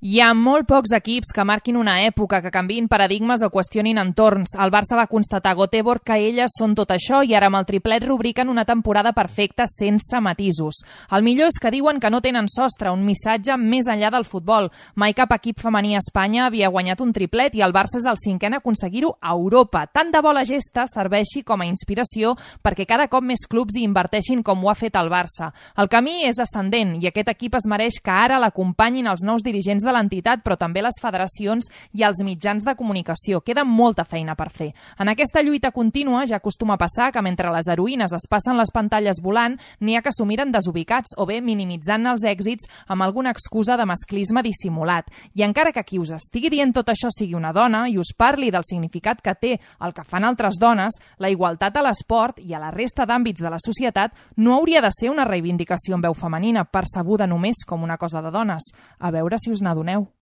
Hi ha molt pocs equips que marquin una època, que canviïn paradigmes o qüestionin entorns. El Barça va constatar a Göteborg que elles són tot això i ara amb el triplet rubriquen una temporada perfecta sense matisos. El millor és que diuen que no tenen sostre, un missatge més enllà del futbol. Mai cap equip femení a Espanya havia guanyat un triplet i el Barça és el cinquè en aconseguir-ho a Europa. Tant de bo la gesta serveixi com a inspiració perquè cada cop més clubs hi inverteixin com ho ha fet el Barça. El camí és ascendent i aquest equip es mereix que ara l'acompanyin els nous dirigents de l'entitat, però també les federacions i els mitjans de comunicació. Queda molta feina per fer. En aquesta lluita contínua ja acostuma a passar que mentre les heroïnes es passen les pantalles volant, n'hi ha que s'ho miren desubicats o bé minimitzant els èxits amb alguna excusa de masclisme dissimulat. I encara que qui us estigui dient tot això sigui una dona i us parli del significat que té el que fan altres dones, la igualtat a l'esport i a la resta d'àmbits de la societat no hauria de ser una reivindicació en veu femenina, percebuda només com una cosa de dones. A veure si us n'adoneu.